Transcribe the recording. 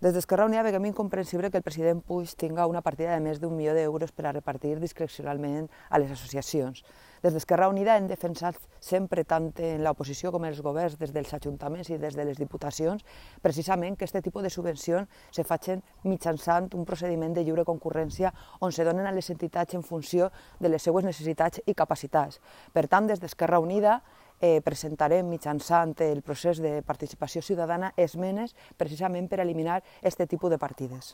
Des d'Esquerra Unida veiem incomprensible que el president Puig tinga una partida de més d'1 milió d'euros per a repartir discrecionalment a les associacions. Des d'Esquerra Unida hem defensat sempre, tant en l'oposició com en els governs, des dels ajuntaments i des de les diputacions, precisament que aquest tipus de subvencions se facin mitjançant un procediment de lliure concurrència on se donen a les entitats en funció de les seues necessitats i capacitats. Per tant, des d'Esquerra Unida presentarem mitjançant el procés de participació ciutadana esmenes precisament per eliminar aquest tipus de partides.